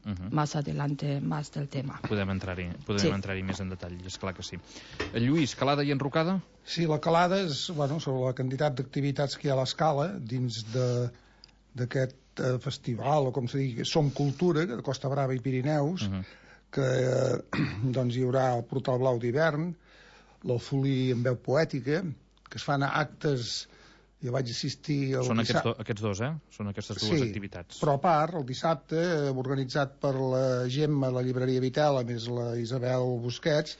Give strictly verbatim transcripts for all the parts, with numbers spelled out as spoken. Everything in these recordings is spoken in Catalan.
Uh -huh. más adelante más del tema. Podem entrar-hi podem Sí. entrar-hi més en detall, és clar que sí. Lluís, calada i enrocada? Sí, la calada és, bueno, sobre la quantitat d'activitats que hi ha a l'escala dins de d'aquest eh, festival, o com se digui, Som Cultura, de Costa Brava i Pirineus, uh -huh. que eh, doncs hi haurà el Portal Blau d'hivern, l'Alfolí en veu poètica, que es fan actes. Jo vaig assistir... El Són aquests, dissabte... do, aquests dos, eh? Són aquestes dues sí, activitats. Però a part, el dissabte, eh, organitzat per la Gemma, la llibreria Vitela, més la Isabel Busquets,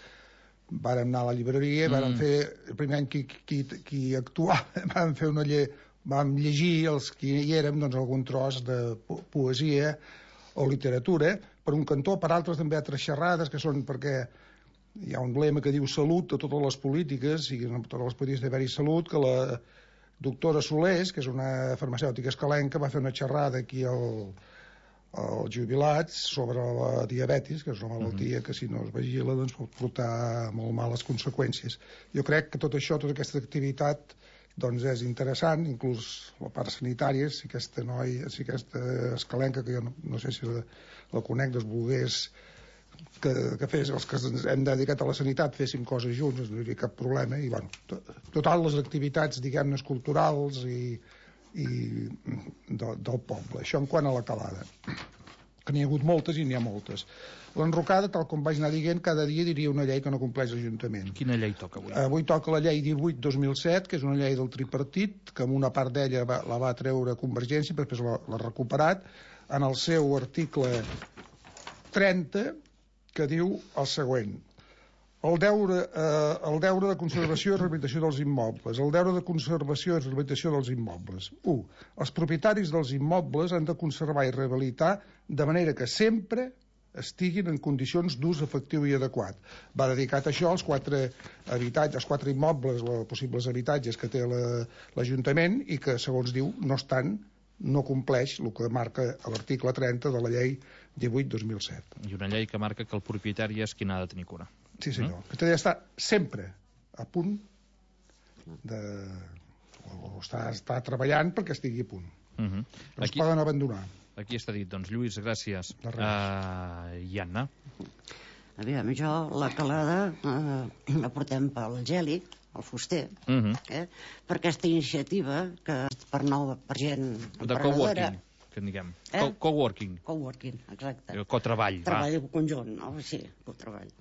vàrem anar a la llibreria, mm. vàrem fer, el primer any qui, qui, qui actuava, vàrem fer una lle... vam llegir, els que hi érem, doncs, algun tros de po poesia o literatura, per un cantó, per altres també altres xerrades, que són perquè hi ha un lema que diu salut a totes les polítiques, i a totes les polítiques d'haver-hi salut, que la doctora Solés, que és una farmacèutica escalenca, va fer una xerrada aquí al, als jubilats sobre la diabetis, que és una malaltia que si no es vigila doncs pot portar molt males conseqüències. Jo crec que tot això, tota aquesta activitat doncs és interessant, inclús la part sanitària, si aquesta noia, si aquesta escalenca, que jo no, no sé si la, la conec, doncs volgués que, que fes, els que ens hem dedicat a la sanitat féssim coses junts, no hi hauria cap problema, i bueno, to, totes les activitats, diguem-ne, culturals i, i de, del poble. Això en quant a la calada, que n'hi ha hagut moltes i n'hi ha moltes. L'enrocada, tal com vaig anar dient, cada dia diria una llei que no compleix l'Ajuntament. Quina llei toca avui? Avui toca la llei divuit dos mil set, que és una llei del tripartit, que amb una part d'ella la va treure Convergència, però després l'ha recuperat, en el seu article trenta, que diu el següent: el deure, eh, el deure de conservació i rehabilitació dels immobles. El deure de conservació i rehabilitació dels immobles. u. Els propietaris dels immobles han de conservar i rehabilitar de manera que sempre estiguin en condicions d'ús efectiu i adequat. Va dedicat a això als quatre habitatges, als quatre immobles, els possibles habitatges que té l'Ajuntament i que, segons diu, no estan, no compleix el que marca l'article trenta de la llei divuit dos mil set. I una llei que marca que el propietari és qui n'ha de tenir cura. Sí, senyor. Mm? Que té d'estar sempre a punt de... o està, està treballant perquè estigui a punt. Uh -huh. No es Aquí... poden abandonar. Aquí està dit, doncs, Lluís, gràcies. Uh, I Anna? Aviam, jo la calada eh, la portem pel Geli, el fuster, uh -huh. eh, per aquesta iniciativa que per nova, per gent de coworking, que en diguem. Eh? Co coworking. Coworking, exacte. Cotreball, Treball va. Conjunt, no? Sí, cotreball.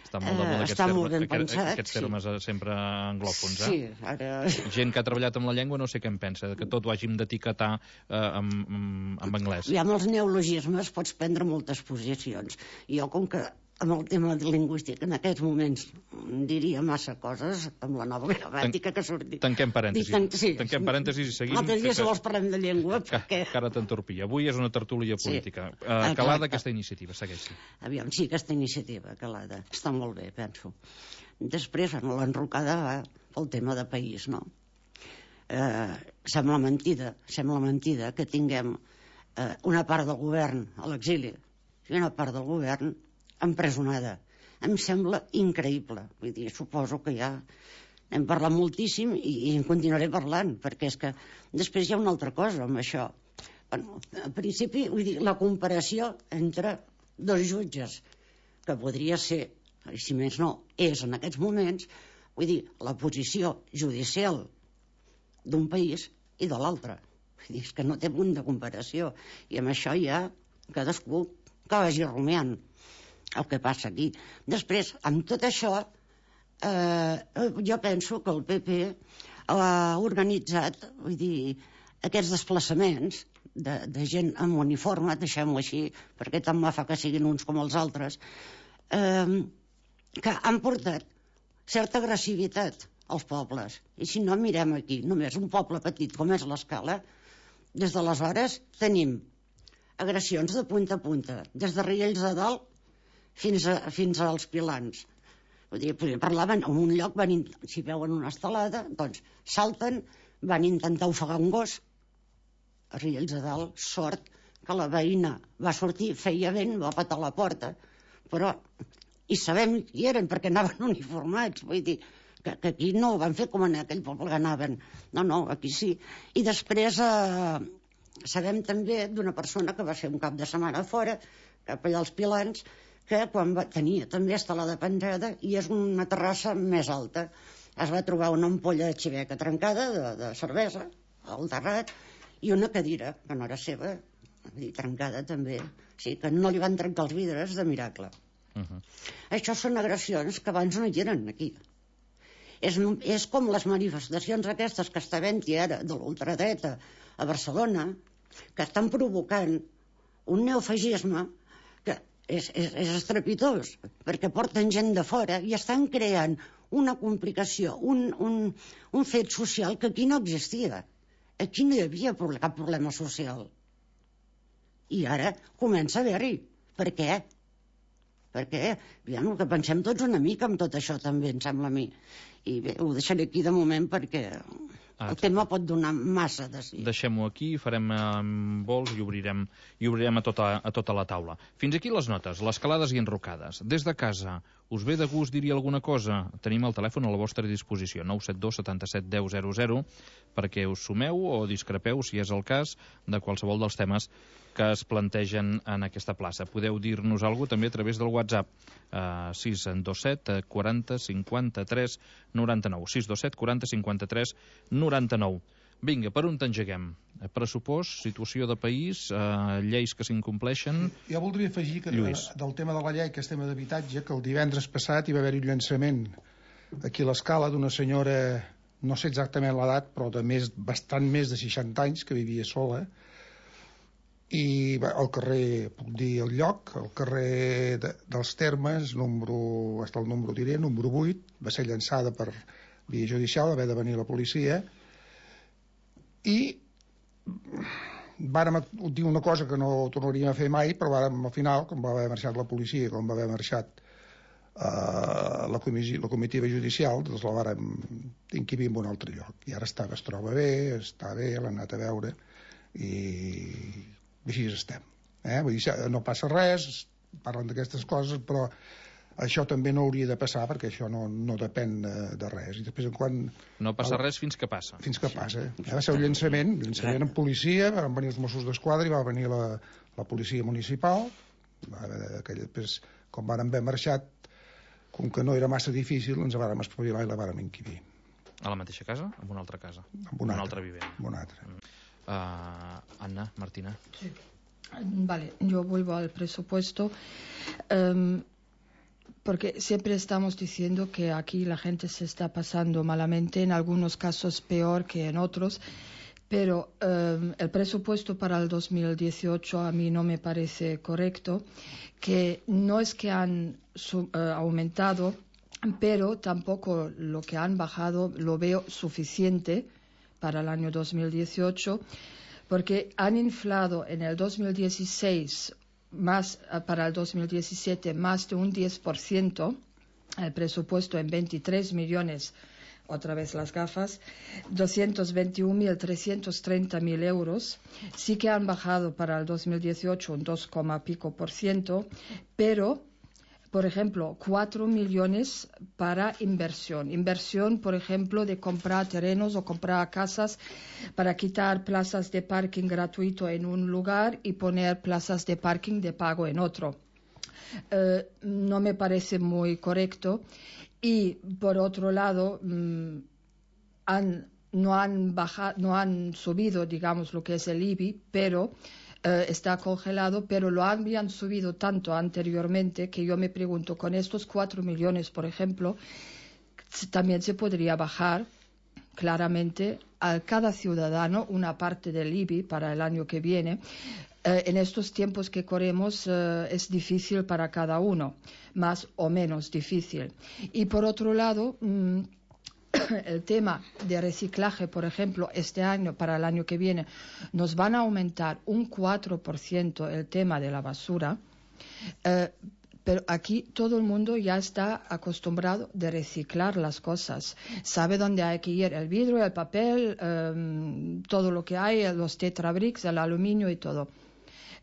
Està molt de moda aquests, eh, termes, ben aquest, pensat, aquests termes sí. Sempre anglòfons, eh? Sí, ara... Gent que ha treballat amb la llengua no sé què en pensa, que tot ho hàgim d'etiquetar eh, amb, amb, amb anglès. I amb els neologismes pots prendre moltes posicions. Jo, com que amb el tema lingüístic en aquests moments diria massa coses amb la nova gramàtica que ha sortit. Tanquem parèntesis. Tan, sí. Tanquem parèntesis i seguim. L'altre dia, si vols, parlem de llengua. Que, perquè... que ara t'entorpia. Avui és una tertúlia política. Sí. Uh, calada aquesta iniciativa, segueixi. Aviam, sí, aquesta iniciativa, calada. Està molt bé, penso. Després, bueno, l'enrocada va pel tema de país, no? Eh, sembla mentida, sembla mentida que tinguem eh, una part del govern a l'exili i una part del govern empresonada. Em sembla increïble. Vull dir, suposo que ja hem parlat moltíssim i, i en continuaré parlant, perquè és que després hi ha una altra cosa amb això. Bueno, en principi, vull dir, la comparació entre dos jutges, que podria ser, si més no, és en aquests moments, vull dir, la posició judicial d'un país i de l'altre. Vull dir, és que no té punt de comparació. I amb això ja cadascú que vagi rumiant el que passa aquí. Després, amb tot això, eh, jo penso que el P P ha organitzat, vull dir, aquests desplaçaments de, de gent amb uniforme, deixem-ho així, perquè tant me fa que siguin uns com els altres, eh, que han portat certa agressivitat als pobles. I si no, mirem aquí, només un poble petit com és l'Escala, des d'aleshores tenim agressions de punta a punta, des de Riells de Dalt fins, a, fins als Pilans. Vull dir, parlaven en un lloc, van, si veuen una estelada, doncs salten, van intentar ofegar un gos. A Riells de Dalt, sort que la veïna va sortir, feia vent, va patar la porta, però i sabem qui eren perquè anaven uniformats, vull dir que, que aquí no ho van fer com en aquell poble que anaven, no, no, aquí sí. I després eh, sabem també d'una persona que va ser un cap de setmana fora, cap allà als Pilans, que quan va, tenia també estelada penjada i és una terrassa més alta. Es va trobar una ampolla de xiveca trencada, de, de cervesa, al terrat, i una cadira, que no era seva, dir, trencada també. Sí, que no li van trencar els vidres de miracle. Uh-huh. Això són agressions que abans no hi eren aquí. És, és com les manifestacions aquestes que està havent-hi ara de l'ultradreta a Barcelona, que estan provocant un neofascisme que és, és, és estrepitós, perquè porten gent de fora i estan creant una complicació, un, un, un fet social que aquí no existia. Aquí no hi havia cap problema social. I ara comença a haver-hi. Per què? Perquè ja, el que pensem tots una mica amb tot això també, em sembla a mi. I bé, ho deixaré aquí de moment perquè ah, el tema pot donar massa de sí. Deixem-ho aquí, farem eh, vols i obrirem, i obrirem a, tota, a tota la taula. Fins aquí les notes, les calades i enrocades. Des de casa, us ve de gust dir-hi alguna cosa? Tenim el telèfon a la vostra disposició, nou set dos setanta-set deu zero zero, perquè us sumeu o discrepeu, si és el cas, de qualsevol dels temes que es plantegen en aquesta plaça. Podeu dir-nos alguna cosa també a través del WhatsApp, eh, sis dos set quaranta cinquanta-tres noranta-nou, sis dos set quaranta cinquanta-tres noranta-nou. Vinga, per on t'engeguem? Pressupost, situació de país, eh, lleis que s'incompleixen... Jo voldria afegir que Lluís. Del tema de la llei, que és tema d'habitatge, que el divendres passat hi va haver-hi un llançament aquí a l'Escala d'una senyora, no sé exactament l'edat, però de més, bastant més de seixanta anys, que vivia sola, i al carrer, puc dir el lloc, al carrer de, dels Termes, número, hasta el número diré, número vuit, va ser llançada per via judicial, va haver de venir la policia, i vàrem dir una cosa que no tornaríem a fer mai, però vàrem, al final, com va haver marxat la policia, com va haver marxat uh, la, comissió, la comitiva judicial, doncs la vàrem inquibir en un altre lloc, i ara està, es troba bé, està bé, l'han anat a veure, i així estem, eh? Vull dir, no passa res, parlen d'aquestes coses, però això també no hauria de passar, perquè això no, no depèn de, de res. I després, quan... No passa el... res fins que passa. Fins que passa. Eh? Va ser un llançament, llançament amb policia, van venir els Mossos d'Esquadra i va venir la, la policia municipal, va, aquell, després, com van haver marxat, com que no era massa difícil, ens vàrem espavilar i la vàrem inquibir. A la mateixa casa? En una altra casa? En una, una altra, altra vivent. En una altra. Mm. Uh, Anna, Martina. Sí. Vale, yo vuelvo al presupuesto um, porque siempre estamos diciendo que aquí la gente se está pasando malamente, en algunos casos peor que en otros, pero um, el presupuesto para el dos mil dieciocho a mí no me parece correcto, que no es que han su, uh, aumentado, pero tampoco lo que han bajado lo veo suficiente para el año dos mil dieciocho, porque han inflado en el dos mil dieciséis más, para el dos mil diecisiete más de un diez por ciento, el presupuesto en veintitrés millones, otra vez las gafas, doscientos veintiún mil trescientos treinta mil euros. Sí que han bajado para el dos mil dieciocho un dos coma pico por ciento, pero... Por ejemplo, cuatro millones para inversión. Inversión, por ejemplo, de comprar terrenos o comprar casas para quitar plazas de parking gratuito en un lugar y poner plazas de parking de pago en otro. Eh, no me parece muy correcto. Y, por otro lado, mmm, han, no, han bajado, no han subido, digamos, lo que es el I B I, pero... Uh, está congelado, pero lo habían subido tanto anteriormente que yo me pregunto, con estos cuatro millones, por ejemplo, también se podría bajar claramente a cada ciudadano una parte del I B I para el año que viene. Uh, en estos tiempos que corremos uh, es difícil para cada uno, más o menos difícil. Y por otro lado... Mmm, el tema de reciclaje, por ejemplo, este año, para el año que viene, nos van a aumentar un cuatro por ciento el tema de la basura, eh, pero aquí todo el mundo ya está acostumbrado de reciclar las cosas. Sabe dónde hay que ir, el vidrio, el papel, eh, todo lo que hay, los tetrabricks, el aluminio y todo.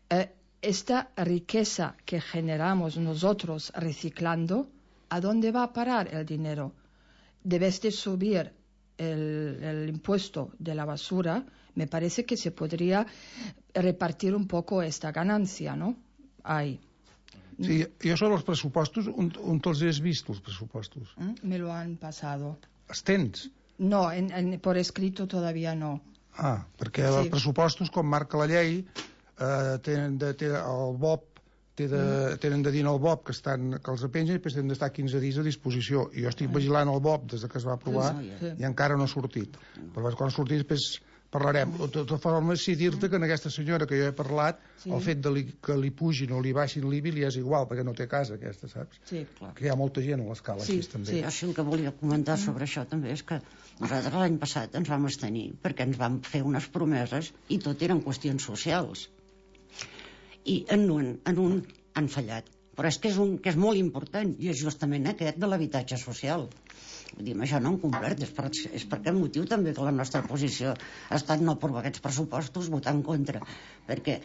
Eh, esta riqueza que generamos nosotros reciclando, ¿a dónde va a parar el dinero? Debes de subir el, el impuesto de la basura, me parece que se podría repartir un poco esta ganancia, ¿no? Ahí. Sí, jo sobre els pressupostos, on, on te'ls has vist, els pressupostos? Me lo han pasado. Els tens? No, en, en, por escrito todavía no. Ah, perquè Sí. els pressupostos, com marca la llei, eh, tenen de, té, el B O P té de, mm. tenen de dir al B O P que, estan, que els apengen i després tenen d'estar quinze dies a disposició. I jo estic mm. vigilant el B O P des que es va aprovar Sí. i encara no ha sortit. Però quan ha sortit després parlarem. De tota forma, sí dir-te que en aquesta senyora que jo he parlat, sí. el fet de li, que li pugin o li baixin l'I B I li és igual, perquè no té casa aquesta, saps? Sí, clar. Que hi ha molta gent a l'escala Sí, així també. sí. Jo sí el que volia comentar sobre això també és que nosaltres l'any passat ens vam abstenir perquè ens vam fer unes promeses i tot eren qüestions socials. I en un, en un han fallat. Però és que és, un, que és molt important i és justament aquest de l'habitatge social. Vull dir, això no han complert, és per, és per aquest motiu també que la nostra posició ha estat no aprovar aquests pressupostos, votar en contra, perquè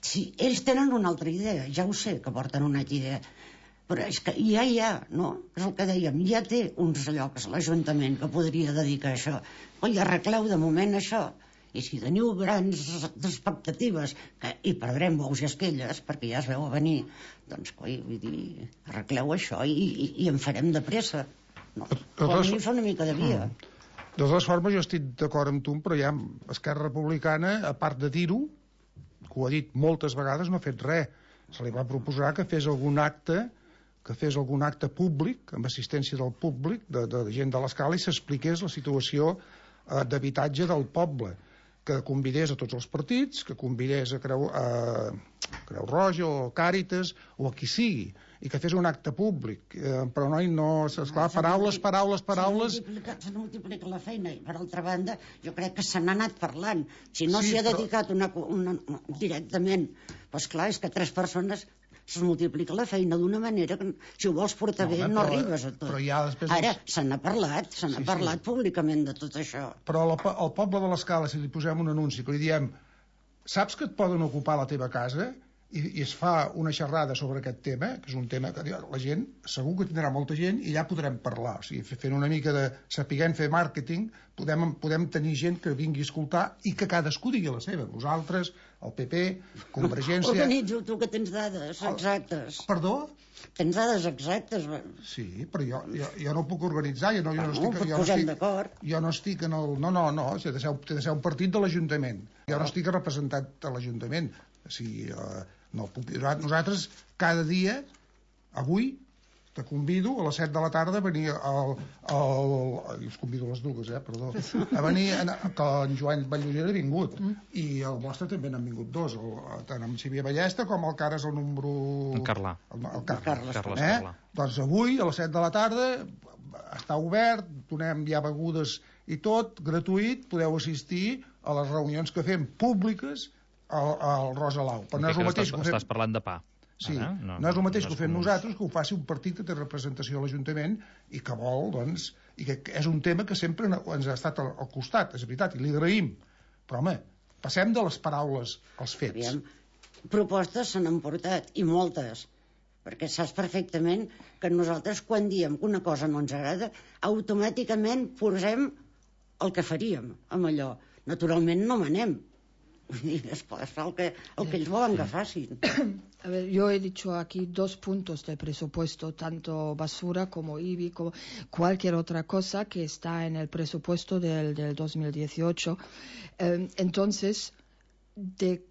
si ells tenen una altra idea, ja ho sé que porten una altra idea, però és que ja hi ha, no? És el que dèiem, ja té uns llocs l'Ajuntament que podria dedicar a això. Oi, arregleu de moment això, i si teniu grans expectatives que hi perdrem bous i esquelles perquè ja es veu a venir, doncs coi, vull dir, arregleu això i, i, i en farem de pressa. No, com a mínim fa una mica de via. Mm. De totes formes, jo estic d'acord amb tu, però ja Esquerra Republicana, a part de dir-ho, que ho ha dit moltes vegades, no ha fet res. Se li va proposar que fes algun acte que fes algun acte públic, amb assistència del públic, de, de gent de l'escala, i s'expliqués la situació eh, d'habitatge del poble, que convidés a tots els partits, que convidés a Creu, a Creu Roja o Càritas o a qui sigui, i que fes un acte públic, eh, però no, no esclar, paraules, paraules, paraules... Se multiplica, multiplica la feina, i per altra banda, jo crec que se n'ha anat parlant. Si no s'hi Sí, ha dedicat una, una, una, directament, doncs clar, és que tres persones es multiplica la feina d'una manera que, si ho vols portar No, bé, home, no però- arribes a tot. però ja després Ara, els- se n'ha parlat, se n'ha Sí, sí. parlat públicament de tot això. Però al, po- al poble de l'escala, si li posem un anunci que li diem saps que et poden ocupar la teva casa, i, i es fa una xerrada sobre aquest tema, que és un tema que la gent segur que tindrà molta gent i ja podrem parlar, o sigui, fent una mica de sapiguem fer màrqueting, podem, podem tenir gent que vingui a escoltar i que cadascú digui la seva, vosaltres, el P P, Convergència... Organitzo tu que tens dades exactes. Perdó? Tens dades exactes. Sí, però jo, jo, jo no puc organitzar, jo no, jo no Bueno, estic... ens Jo no posem estic, d'acord. jo no estic en el... No, no, no, té de ser, té de ser un partit de l'Ajuntament. Jo no estic representat a l'Ajuntament. O sigui, eh, no puc... Nosaltres, cada dia, avui, te convido a les set de la tarda a venir al... al, al us convido a les dues, eh, perdó. A venir, a, que en Joan Valloller ha vingut. Mm. I el vostre també n'han vingut dos, el, tant en Xavier Ballesta com el que ara és el número... En Carlà. El, el Carles. Carles. Carles Eh? Carlà. Doncs avui, a les set de la tarda, està obert, donem ja begudes i tot, gratuït, podeu assistir a les reunions que fem públiques al, al Rosalau. Però no és el mateix estàs, que ho fem... estàs parlant de pa. Sí, Ara, no, no és el mateix no que ho és fem com- nosaltres, que ho faci un partit que té representació a l'Ajuntament i que vol, doncs, i que és un tema que sempre ens ha estat al, al costat, és veritat, i li agraïm. Però, home, passem de les paraules als fets. Aviam, propostes se n'han portat, i moltes, perquè saps perfectament que nosaltres quan diem que una cosa no ens agrada, automàticament posem el que faríem amb allò. Naturalment no manem. Vull dir, es fa el que, el que ells volen que facin. A ver, yo he dicho aquí dos puntos del presupuesto, tanto basura como I B I, como cualquier otra cosa que está en el presupuesto del, del dos mil dieciocho. Eh, entonces, de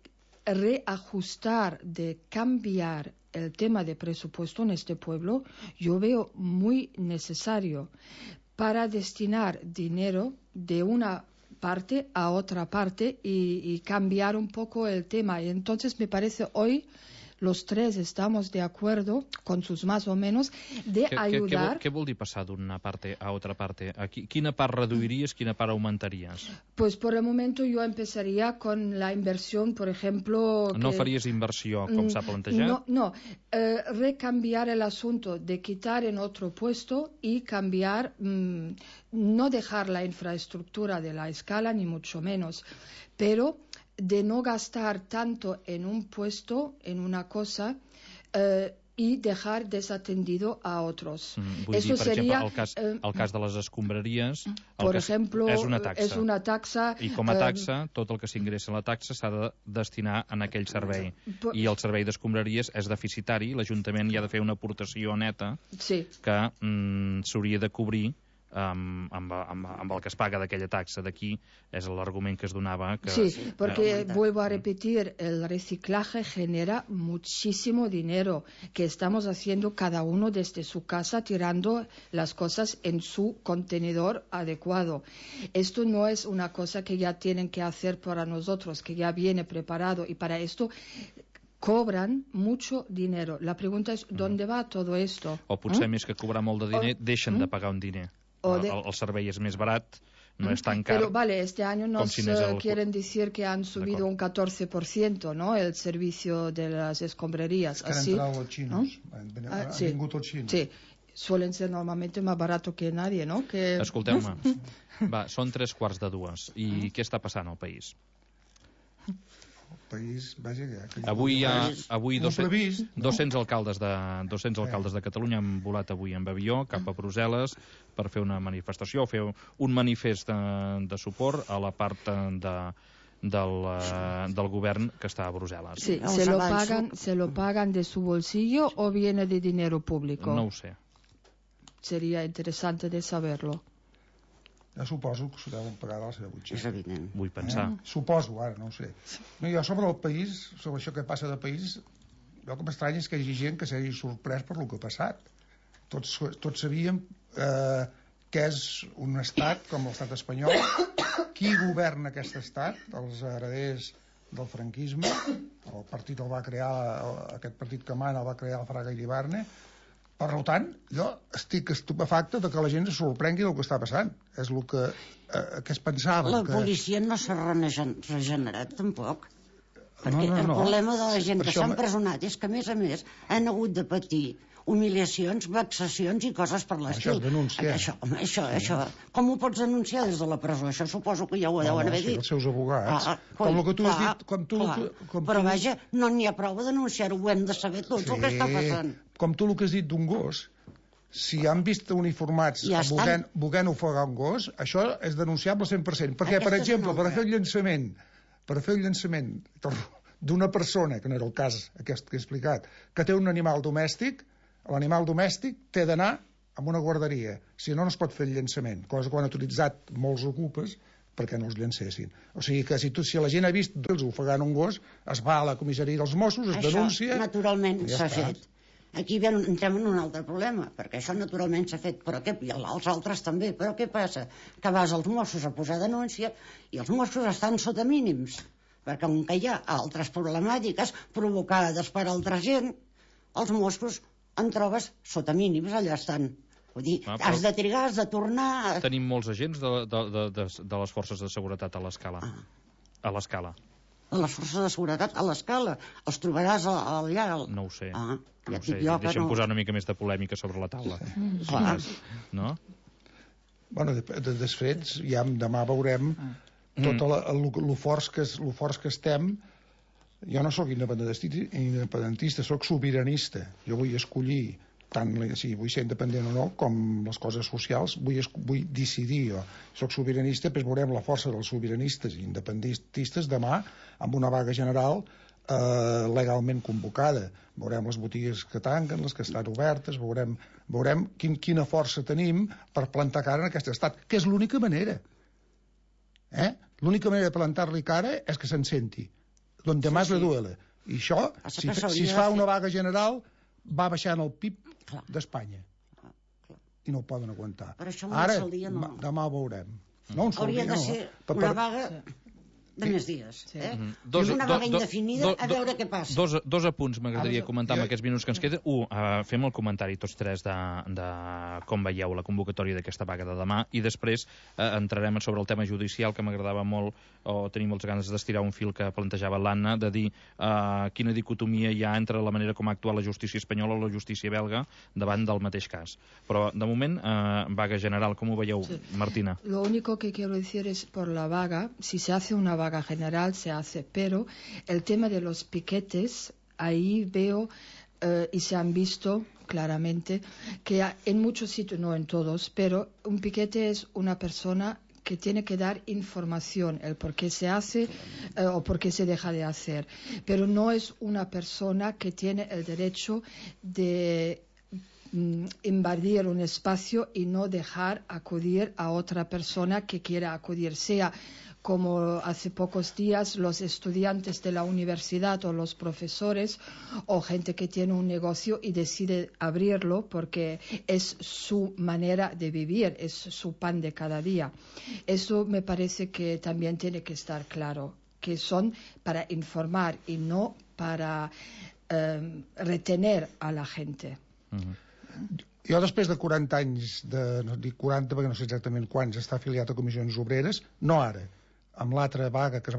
reajustar, de cambiar el tema de presupuesto en este pueblo, yo veo muy necesario para destinar dinero de una parte a otra parte y, y cambiar un poco el tema. Y entonces me parece hoy los tres estamos de acuerdo, con sus más o menos, de Què, què, què, ayudar. vol, què vol dir passar d'una parte a otra parte? Aquí, quina part reduiries, quina part augmentaries? Pues por el momento yo empezaría con la inversión, por ejemplo... No que- faries inversió, com s'ha plantejat? No, no. Eh, recambiar el asunto de quitar en otro puesto y cambiar, mm, no dejar la infraestructura de la escala, ni mucho menos, pero de no gastar tanto en un puesto, en una cosa, eh, y dejar desatendido a otros. Mm, vull Eso dir, per sería, exemple, el cas, eh, el cas de les escombraries, el por que ejemplo, és una taxa. es una taxa. I com a eh, taxa, tot el que s'ingressa a la taxa s'ha de destinar en aquell servei. Por- I el servei d'escombraries és deficitari, l'Ajuntament hi ha de fer una aportació neta sí. que mm, s'hauria de cobrir amb, amb, amb, amb el que es paga d'aquella taxa. D'aquí és l'argument que es donava. Que, Sí, porque eh, vuelvo a repetir, el reciclaje genera muchísimo dinero que estamos haciendo cada uno desde su casa, tirando las cosas en su contenedor adecuado. Esto no es una cosa que ya tienen que hacer para nosotros, que ya viene preparado, y para esto cobran mucho dinero. La pregunta es, ¿dónde va todo esto? O potser ¿Mm? més que cobrar molt de diner, O- deixen ¿Mm? de pagar un diner. O El, de- el, el servei és més barat, no és tan car. Pero vale, este año com nos si anés eh, al- quieren decir que han subido D'acord. un catorce por ciento, ¿no? El servicio de las escombrerías. És que han Así, entrat els xinos. ¿no? Han, Ah, han sí. vingut els xinos. Sí, suelen ser normalmente más barato que nadie, ¿no? Que... Escolteu-me, va, són tres quarts de dues. I què està passant al país? El país, vaja, que... que Avui hi ha país, avui un dos-cents previst, no? dos-cents alcaldes de dos-cents alcaldes de Catalunya han volat avui amb avió cap a Brussel·les per fer una manifestació, fer un manifest de, de suport a la part de, del, eh, del govern que està a Brussel·les. Sí, Els ¿se lo, avanço. pagan, ¿se lo pagan de su bolsillo o viene de dinero público? No ho sé. Sería interesante de saberlo. Jo suposo que s'ho deuen pagar de la seva És butxaca. evident. Vull pensar. Eh? Suposo, ara, no ho sé. No, jo sobre el país, sobre això que passa de país, el que m'estranya és que hi hagi gent que s'hagi sorprès per el que ha passat. Tots, tots sabíem eh, que és un estat com l'estat espanyol. Qui governa aquest estat? Els hereders del franquisme. El partit el va crear, aquest partit que mana el va crear el Fraga Iribarne. Per tant, jo estic estupefacte de que la gent es sorprengui del que està passant. És el que, eh, que es pensava. La que... policia no s'ha regen- regenerat tampoc. Perquè No, no, el no. problema de la gent Per que això s'ha me- empresonat és que, a més a més, han hagut de patir humiliacions, vexacions i coses per l'estil. Això es denuncia. Això, home, això, això, com ho pots denunciar des de la presó? Això suposo que ja ho No, deuen no, haver sí, dit. els seus abogats. Ah, Com el que tu has clar, dit, com tu- clar. com Però tu- vaja, no n'hi ha prou de denunciar-ho, ho hem de saber tots el que està passant. Com tu el que has dit d'un gos, si han vist uniformats Ja volent, volent ofegar un gos, això és denunciable cent per cent. Perquè, Aquesta per és exemple, una per altra. fer el llançament, per fer el llançament d'una persona, que no era el cas aquest que he explicat, que té un animal domèstic, l'animal domèstic té d'anar a una guarderia, si no, no es pot fer el llançament, cosa que ho han utilitzat molts ocupes perquè no els llancessin. O sigui que si, tu, si la gent ha vist els ofegant un gos, es va a la comissaria dels Mossos, es Això, denuncia... naturalment, i ja s'ha està. fet. Aquí ven- entrem en un altre problema, perquè això naturalment s'ha fet, però què, i els altres també, però què passa? Que vas als Mossos a posar denúncia i els Mossos estan sota mínims, perquè com que hi ha altres problemàtiques provocades per altra gent, els Mossos en trobes sota mínims, allà estan. Vull dir, Ah, però- has de trigar, has de tornar... Tenim molts agents de, de, de, de, de les forces de seguretat a l'escala. Ah. A l'escala. A les forces de seguretat, a l'escala, els trobaràs a- allà... Al... No ho sé. Ah, No ja ho et sé. dic jo que Deixa'm no... posar una mica més de polèmica sobre la taula. Clar. No? Bueno, de, de desfets, ja demà veurem tot el, el, el, forts que, es- lo forts que estem. Jo no sóc independentista, independentista, sóc sobiranista. Jo vull escollir, tant si vull ser independent o no, com les coses socials, vull, es- vull decidir jo. Soc sobiranista, doncs veurem la força dels sobiranistes i independentistes demà amb una vaga general eh, legalment convocada. Veurem les botigues que tanquen, les que estan obertes, veurem, veurem quin, quina força tenim per plantar cara en aquest estat, que és l'única manera. Eh? L'única manera de plantar-li cara és que se'n senti. Donde Sí, más sí. le duele. I això, Passa si, que si s'hauria es de fa fer- una vaga general, va baixant el P I B Clar. d'Espanya. Ah, clar. I no ho poden aguantar. Per això un Ara, sol dia no. ma- demà ho veurem. No, un sol Hauria dia de no. ser Per- una per- vaga de més dies. Sí. Eh? Mhm. I una vaga do- indefinida, do- a do- veure què passa. Dos, dos apunts m'agradaria Ah, comentar jo- amb aquests minuts que ens queden. Un, uh, fem el comentari tots tres de, de com veieu la convocatòria d'aquesta vaga de demà i després uh, entrarem sobre el tema judicial, que m'agradava molt, o tenim moltes ganes d'estirar un fil que plantejava l'Anna, de dir uh, quina dicotomia hi ha entre la manera com ha actuat la justícia espanyola o la justícia belga davant del mateix cas. Però, de moment, uh, vaga general, com ho veieu, Sí. Martina? Lo único que quiero decir es por la vaga, si se hace una vaga general se hace, pero el tema de los piquetes, ahí veo eh, y se han visto claramente que en muchos sitios, no en todos, pero un piquete es una persona que tiene que dar información, el por qué se hace eh, o por qué se deja de hacer, pero no es una persona que tiene el derecho de mm, invadir un espacio y no dejar acudir a otra persona que quiera acudir, sea como hace pocos días los estudiantes de la universidad o los profesores o gente que tiene un negocio y decide abrirlo porque es su manera de vivir, es su pan de cada día. Eso me parece que también tiene que estar claro, que son para informar y no para eh, retener a la gente. Uh-huh. Jo, després de quaranta anys, de, no dic quaranta perquè no sé exactament quants, està afiliat a Comissions Obreres, no ara, amb l'altra vaga que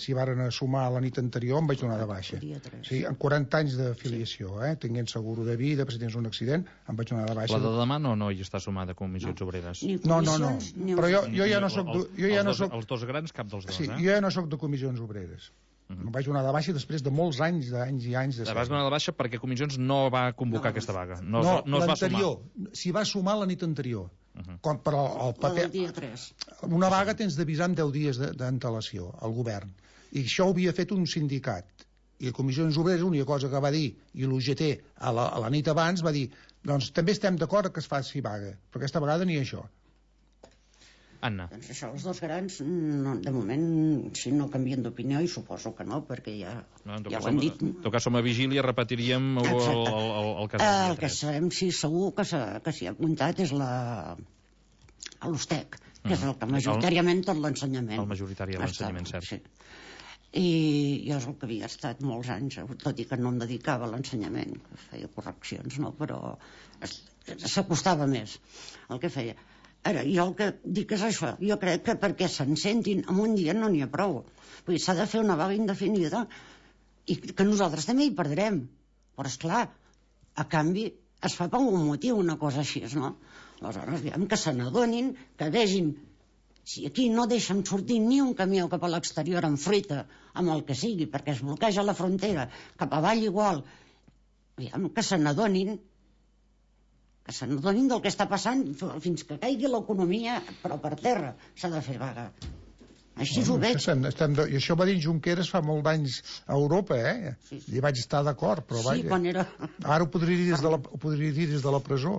s'hi varen sumar la nit anterior, em vaig donar de baixa. Sí, amb quaranta anys d'afiliació, eh? Tinguent seguro de vida, si tens un accident, em vaig donar de baixa. La de demà no, no hi està sumada a Comissions no. Obreres? No, no, no. Però jo, jo ja no soc... Jo ja no soc... Els dos grans, cap dels dos, sí, eh? Jo ja no soc de Comissions Obreres. Uh-huh. Em vaig donar de baixa després de molts anys, d'anys i anys de... Te vas donar de baixa perquè Comissions no va convocar no, aquesta vaga. No, no, no l'anterior. S'hi va sumar la nit anterior. Uh-huh. Com per al paper... dia tres. Una vaga tens d'avisar en deu dies d'antelació al govern. I això ho havia fet un sindicat. I la Comissions Obreres, l'única cosa que va dir, i l'U G T a la, a la nit abans, va dir doncs també estem d'acord que es faci vaga, però aquesta vegada ni això. Anna. Doncs això, els dos grans, no, de moment, si no canvien d'opinió, i suposo que no, perquè ja, no, ja ho hem dit. En tot cas, som a vigília, repetiríem el, el, el, el cas del dia tres. El que sabem, sí, segur que s'hi ha apuntat és la l'USTEC, que és el que majoritàriament tot l'ensenyament. El majoritari de l'ensenyament, cert. Sí. I jo és el que havia estat molts anys, tot i que no em dedicava a l'ensenyament, feia correccions, no? Però s'acostava més el que feia. Ara, jo el que dic és això, jo crec que perquè se'n sentin en un dia no n'hi ha prou. Vull dir, s'ha de fer una vaga indefinida i que nosaltres també hi perdrem. Però, esclar, a canvi es fa per un motiu una cosa així, no? Aleshores, aviam, que se n'adonin, que vegin si aquí no deixen sortir ni un camió cap a l'exterior amb fruita, amb el que sigui, perquè es bloqueja la frontera, cap avall igual, aviam, que se n'adonin que se n'adonin del que està passant fins que caigui l'economia, però per terra s'ha de fer vaga. Així bueno, ho veig. Estem, estem de... I això va dir Junqueras fa molt d'anys a Europa, eh? Sí, sí. I vaig estar d'acord, però sí, vaja. Quan era... Ara ho podria dir des de la, ho podria dir des de la presó.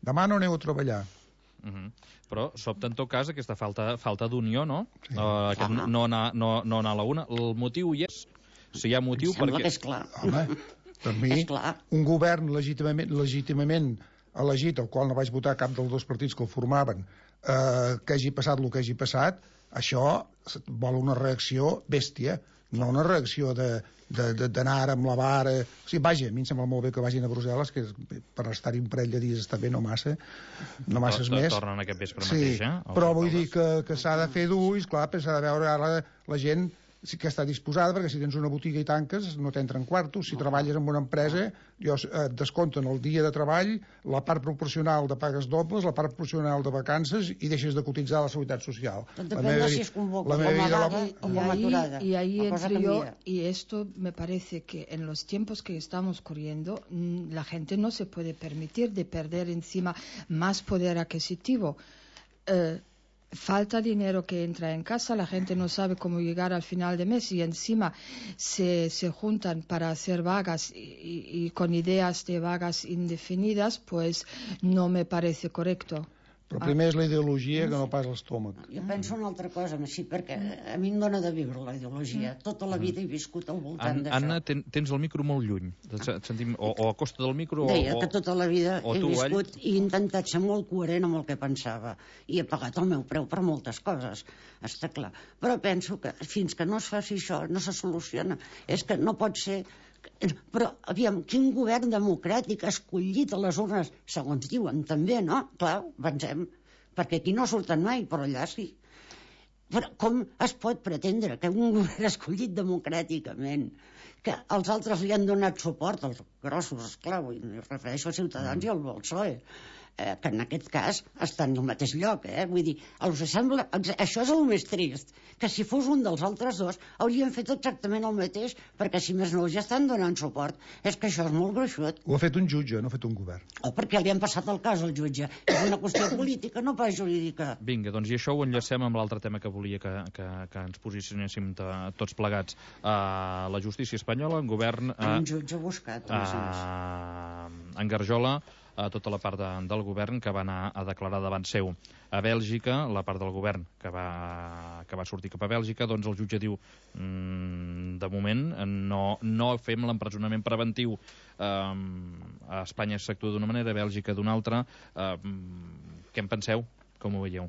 Demà no aneu a treballar. Uh -huh. Però sobta en tot cas aquesta falta, falta d'unió, no? Sí. Uh, aquest uh -huh. no, anar, no, no anar a la una. El motiu hi és? Si hi ha motiu... Em sembla perquè... que és clar. Home, per mi, un govern legítimament, legítimament elegit, al qual no vaig votar cap dels dos partits que el formaven, eh, que hagi passat el que hagi passat, això vol una reacció bèstia, no una reacció de d'anar ara amb la vara... O sigui, vaja, a mi em sembla molt bé que vagin a Brussel·les, que per estar-hi un parell de dies està bé, no massa, no masses més. Tornen aquest vespre sí, mateix, eh? Però vull dir que, que s'ha de fer d'ulls, clar, perquè s'ha de veure ara la gent sí que està disposada, perquè si tens una botiga i tanques no t'entren quartos, si no. treballes en una empresa jo, et descompten el dia de treball, la part proporcional de pagues dobles, la part proporcional de vacances i deixes de cotitzar a la seguretat social. Tot depèn de si es convoca com a vaga o com a aturada. Y ahí entro yo, y esto me parece que en los tiempos que estamos corriendo la gente no se puede permitir de perder encima más poder adquisitivo. Eh, falta dinero que entra en casa, la gente no sabe cómo llegar al final de mes y encima se, se juntan para hacer vagas y, y, y con ideas de vagas indefinidas, pues no me parece correcto. Però primer és la ideologia que no pas l'estómac. Jo penso una altra cosa, sí, perquè a mi em dona de viure la ideologia. Tota la vida he viscut al voltant d'això. Anna, ten, tens el micro molt lluny. Sentim, o, o a costa del micro... Deia o, que tota la vida he tu, viscut i he intentat ser molt coherent amb el que pensava. I he pagat el meu preu per moltes coses, està clar. Però penso que fins que no es faci això no se soluciona. És que no pot ser... Però, aviam, quin govern democràtic escollit a les urnes, segons diuen, també, no? Clar, pensem, perquè aquí no surten mai, però allà sí. Però com es pot pretendre que un govern escollit democràticament, que els altres li han donat suport, els grossos, esclar, em refereixo a Ciutadans i al P S O E, eh, que en aquest cas estan al mateix lloc, eh? Vull dir, els sembla, això és el més trist, que si fos un dels altres dos haurien fet exactament el mateix, perquè si més no ja estan donant suport. És que això és molt gruixut. Ho ha fet un jutge, no ha fet un govern. O perquè li han passat el cas al jutge. És una qüestió política, no pas jurídica. Vinga, doncs i això ho enllacem amb l'altre tema que volia que, que, que ens posicionéssim tots plegats. Uh, la justícia espanyola, en govern... Uh, un jutge buscat, a més a més. Uh, engarjola a tota la part de, del govern que va anar a declarar davant seu. A Bèlgica, la part del govern que va, que va sortir cap a Bèlgica, doncs el jutge diu mmm, de moment no, no fem l'empresonament preventiu. Um, a Espanya s'actua d'una manera, a Bèlgica d'una altra. Um, què en penseu? Com ho veieu?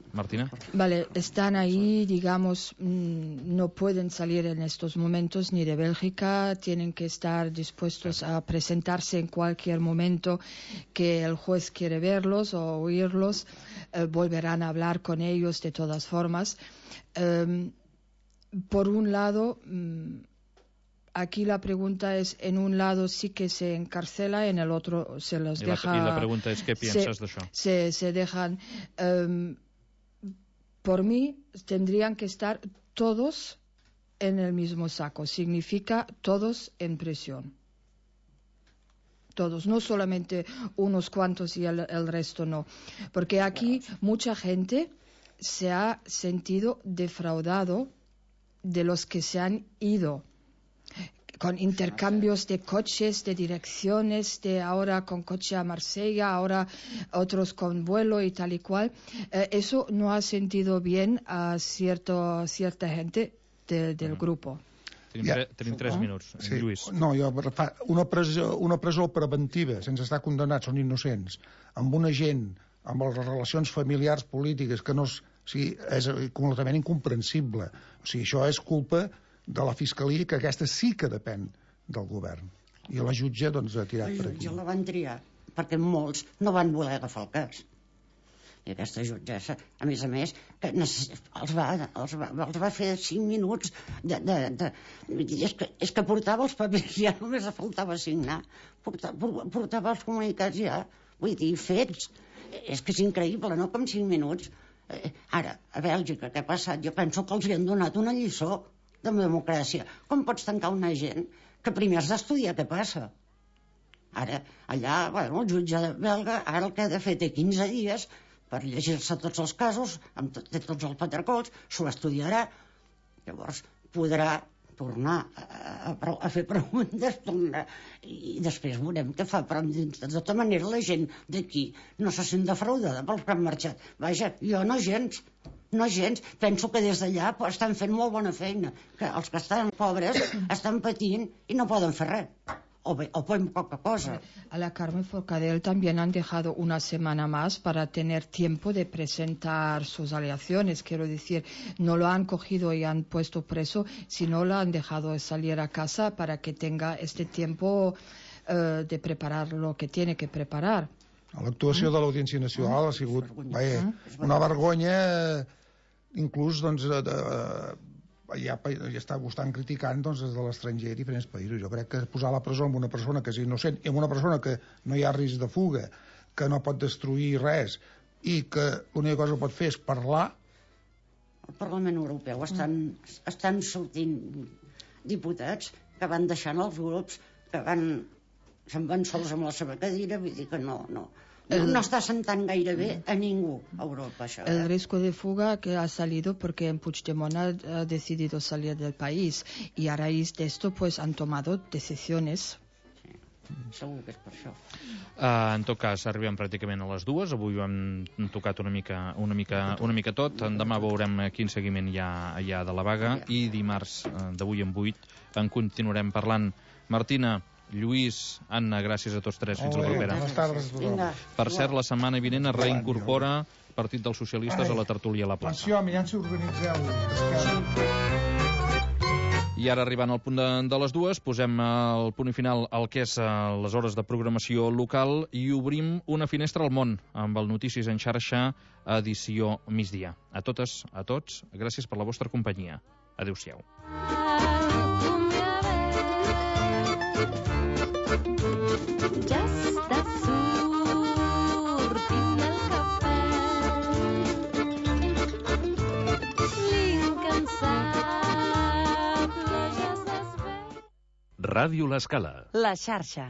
Martina. Vale, están ahí, digamos, no pueden salir en estos momentos ni de Bélgica, tienen que estar dispuestos a presentarse en cualquier momento que el juez quiere verlos o oírlos, eh, volverán a hablar con ellos de todas formas. Eh, por un lado, aquí la pregunta es, en un lado sí que se encarcela, en el otro se los I deja... La, I la pregunta és, què piensas d'això? Se, se dejan... Eh, Por mí, tendrían que estar todos en el mismo saco. Significa todos en prisión. Todos, no solamente unos cuantos y el, el resto no. Porque aquí mucha gente se ha sentido defraudado de los que se han ido, con intercambios de coches, de direcciones, de ahora con coche a Marsella, ahora otros con vuelo y tal y cual. Eh, eso no ha sentido bien a cierto, cierta gente de, del mm. grupo. Tenim, tre tenim tres oh. minuts. Sí. Lluís. No, jo, una presó, una presó preventiva, sense estar condemnats, són innocents, amb una gent, amb les relacions familiars polítiques, que no és, o sigui, és completament incomprensible. O sigui, això és culpa de la Fiscalia, que aquesta sí que depèn del govern. I la jutge, doncs, ha tirat per aquí. La jutge la van triar, perquè molts no van voler agafar el cas. I aquesta jutgessa, a més a més, que els va, els va, els va fer cinc minuts de... de, de és, que, és que portava els papers, ja només faltava signar. Portava, portava els comunicats ja, vull dir, fets. És que és increïble, no?, com cinc minuts. Eh, ara, a Bèlgica, què ha passat? Jo penso que els hi han donat una lliçó de democràcia. Com pots tancar una gent que primer has d'estudiar què passa? Ara, allà, bueno, el jutge belga, ara el que ha de fer té quinze dies per llegir-se tots els casos, amb tot, tots els patercols, s'ho estudiarà, llavors podrà tornar a, a, a fer preguntes, tornar, i després veurem què fa, però de tota manera la gent d'aquí no se sent defraudada pels que han marxat. Vaja, jo no gens, no gens. Penso que des d'allà estan fent molt bona feina, que els que estan pobres estan patint i no poden fer res. O, o ponen poca cosa. A la Carmen Forcadell también han dejado una semana más para tener tiempo de presentar sus alegaciones. Quiero decir, no lo han cogido y han puesto preso, sino lo han dejado salir a casa para que tenga este tiempo uh, de preparar lo que tiene que preparar. L'actuació de l'Audiència Nacional ha sigut vaja, una vergonya, inclús doncs, de, de, ja, ja està, ho estan criticant doncs, des de l'estranger a diferents països. Jo crec que posar a la presó amb una persona que és innocent i amb una persona que no hi ha risc de fuga, que no pot destruir res i que l'única cosa que pot fer és parlar. Al Parlament Europeu estan, estan sortint diputats que van deixant els grups, que van, se'n van sols amb la seva cadira, vull dir que no... no. No, no está sentando gaire bé a ningú a Europa, això. El riesgo de fuga que ha salido porque Puigdemont ha decidido salir del país y a raíz de esto pues han tomado decisiones. Sí, segur que és per això. Uh, en tot cas, arribem pràcticament a les dues. Avui ho hem tocat una mica, una mica, una mica tot. Demà veurem quin seguiment hi ha, hi ha de la vaga i dimarts d'avui en vuit en continuarem parlant. Martina, Lluís, Anna, gràcies a tots tres. Fins oh, la propera. Bones tardes a tothom. Per cert, la setmana vinent es reincorpora Partit dels Socialistes a la tertúlia a la plaça. Atenció, mirant si organitzeu. I ara, arribant al punt de, de les dues, posem el punt i final al que és les hores de programació local i obrim una finestra al món amb el Notícies en xarxa edició migdia. A totes, a tots, gràcies per la vostra companyia. Adéu-siau. Just as soon Ràdio L'Escala. La xarxa.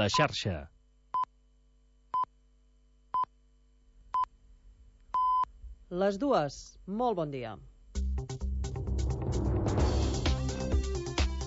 La xarxa. Les dues. Molt bon dia.